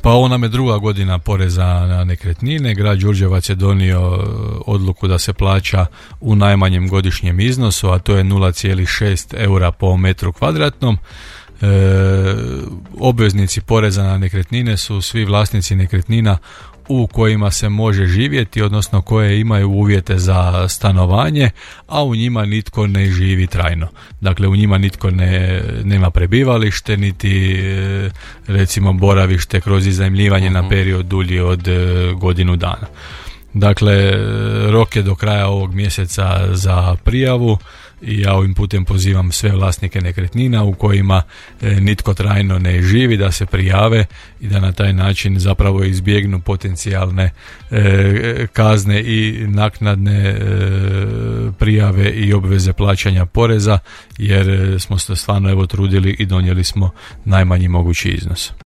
Pa ovo nam je druga godina poreza na nekretnine. Grad Đurđevac je donio odluku da se plaća u najmanjem godišnjem iznosu, a to je 0,6 eura po metru kvadratnom. Obveznici poreza na nekretnine su svi vlasnici nekretnina u kojima se može živjeti, odnosno koje imaju uvjete za stanovanje, a u njima nitko ne živi trajno. Dakle, u njima nitko nema prebivalište, niti recimo boravište kroz iznajmljivanje na period dulji od godinu dana. Dakle, rok je do kraja ovog mjeseca za prijavu i ja ovim putem pozivam sve vlasnike nekretnina u kojima nitko trajno ne živi da se prijave i da na taj način zapravo izbjegnu potencijalne kazne i naknadne prijave i obveze plaćanja poreza, jer smo se stvarno trudili i donijeli smo najmanji mogući iznos.